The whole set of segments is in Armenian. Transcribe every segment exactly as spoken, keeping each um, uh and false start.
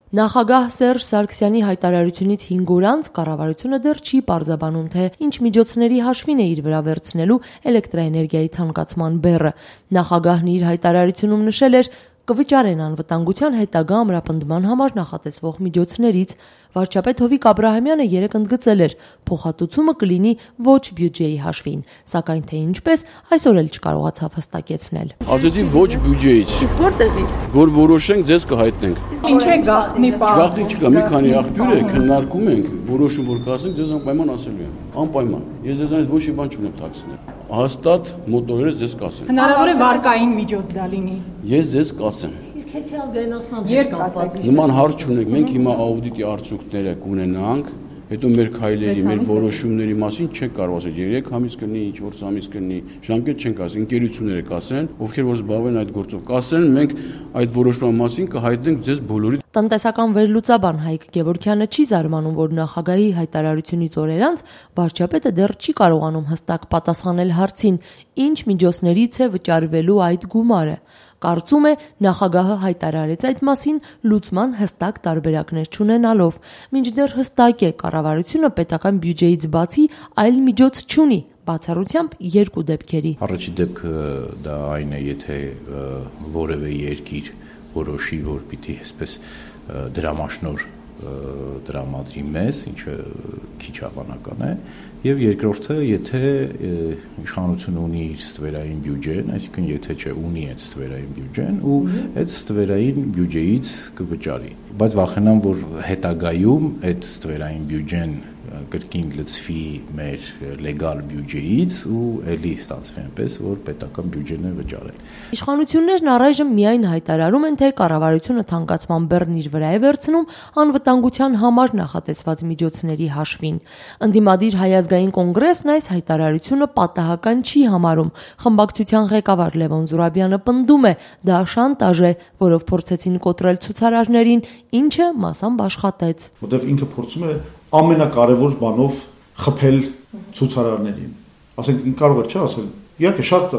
Նախագահ Սերժ Սարգսյանի հայտարարությունից հինգ օր անց կառավարությունը դեռ չի պարզաբանում, թե ինչ միջոցների հաշվին է իր վրա վերցնելու էլեկտրաէներգիայի թանկացման բեռը։ Նախագահն իր հայտարարությունում նշել էր, կվճարեն անվտանգության հետագա ամրապնդման համար նախատեսվող միջոցներից։ Վարչապետ Հովիկ Աբրահամյանը երեկ ընդգծել էր, փոխհատուցումը կլինի ոչ բյուջեի հաշվին, սակայն թե ինչպես, այսօր էլ չկարողացավ հստակեցնել։ Ասեցի ոչ բյուջեից։ Իսկ որտեղից։ Որ որոշենք, ձեզ կհայտնենք։ Ինչ է գաղտնի բան։ Գաղտնի չկա, մի քանի աղբյուր է, քննարկում ենք, որոշում որ կասենք, ձեզ անպայման ասելու եմ։ Անպայման։ Ես ձեզանից ոչ մի բան չունեմ թաքցնել։ Հաստատ մոտորերս ձեզ կասեմ։ Հնարավոր է վարկային միջոց դա լինի։ Ես ձեզ կասեմ։ Իսկ հետի ազգայնացման հետ կապված։ Նման հարց չունենք, մենք հիմա աուդիտի արդյունքները կունենանք, հետո մեր քայլերի, մեր որոշումների մասին չենք կարող ասել, երեք ամիս կլինի, չորս ամիս կլինի, ժամկետ չենք ասել, ընկերությունները կասեն, ովքեր որ զբաղվեն այդ գործով, կասեն, մենք այդ որոշման մասին կհայտնենք ձեզ բոլորի։ Տնտեսական վերլուծաբան Հայկ Գևորգյանը չի զարմանում, որ նախագահի հայտարարությունից օրեր անց վարչապետը դեռ չի կարողանում հստակ պատասխանել հարցին, ինչ միջոցներից է վճարվելու այդ գումարը։ Կարծում է, նախագահը հայտարարեց այդ մասին լուծման հստակ տարբերակներ չունենալով, մինչդեռ հստակ է, կառավարությունը պետական բյուջեից բացի այլ միջոց չունի, բացառությամբ երկու դեպքերի։ Առաջի դեպքը դա այն է, եթե որևէ երկիր որոշի, որ պիտի այսպես դրամաշնոր դրամատրի մեզ, ինչը քիչ հավանական է, եւ երկրորդը, եթե իշխանությունը ունի իր ստվերային բյուջեն, այսինքն եթե չէ ունի այդ ստվերային բյուջեն ու այդ ստվերային բյուջեից կվճարի։ Բայց վախենամ, որ հետագայում այդ ստվերային բյուջեն կրկին լցվի մեր լեգալ բյուջեից ու ելի ստացվի այնպես, որ պետական բյուջեն է վճարել։ Իշխանություններն առայժմ միայն հայտարարում են, թե կառավարությունը թանկացման բեռն իր վրա է վերցնում անվտանգության համար նախատեսված միջոցների հաշվին։ Ընդդիմադիր Հայ ազգային կոնգրեսն այս հայտարարությունը պատահական չի համարում։ Խմբակցության ղեկավար Լևոն Զուրաբյանը պնդում է, դա շանտաժ է, որով փորձեցին կոտրել ցուցարարներին, ինչը մասամբ աշխատեց։ Որտեվ ինքը փորձում է ամենակարևոր բանով խփել ցուցարարներին։ Ասենք կարող է չէ ասել, իհարկե շատ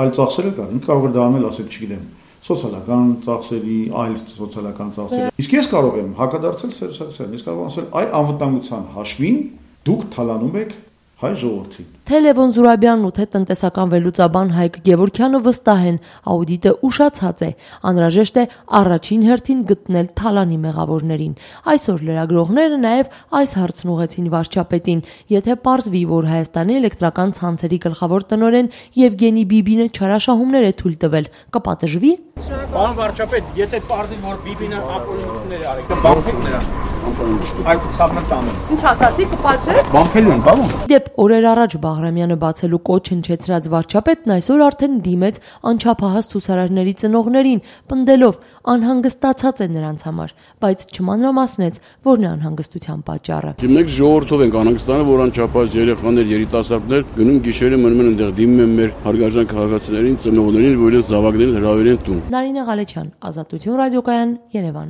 այլ ծախսեր կան, ինքը կարող է դա անել, ասել, չգիտեմ, սոցիալական ծախսերի, այլ սոցիալական ծախսերի։ Իսկ ես կարող եմ հակադարձել Սերժ Սարգսյանին, ես կարող եմ ասել, այ անվտանգության հաշվին դուք թալանում եք հայ ժողովրդին։ Թե Լևոն Զուրաբյանն ու թե տնտեսական վերլուծաբան Հայկ Գևորգյանը վստահ են, աուդիտը ուշացած է, անհրաժեշտ է առաջին հերթին գտնել թալանի մեղավորներին։ Այսօր լրագրողները նաև այս հարցն ուղղեցին վարչապետին, եթե պարզվի, որ Հայաստանի էլեկտրական ցանցերի գլխավոր տնօրեն Եվգենի Բիբինը չարաշահումներ է թույլ տվել, կպատժվի։ Պարոն վարչապետ, եթե պարզվի, որ Բիբինը ապօրինություններ է արել, կբանքեք նրան։ Այդ ցավնտանը։ Ինչ ասացի, կպատժեք։ Բանքելու են, բավոն։ Դեպ օրեր առաջ Բաղրամյանը բացելու կոչ հնչեցրած վարչապետն այսօր արդեն դիմեց անչափահաս ցուցարարների ծնողներին, պնդելով անհանգստացած է նրանց համար, բայց չմանրամասնեց, որն է անհանգստության պատճառը։ Մենք ժողովրդով ենք անհանգստանում, որ անչափահաս երեխաներ, երիտասարդներ գնում գիշերը մնում են այնտեղ դիմում են մեր հարգարժան քաղաքացիներին, ծնողներին, որ իրենց զավակներին հրավիրեն տուն։ Նարինե Ղալեչյան, Ազատություն ռադիոկայան, Երևան։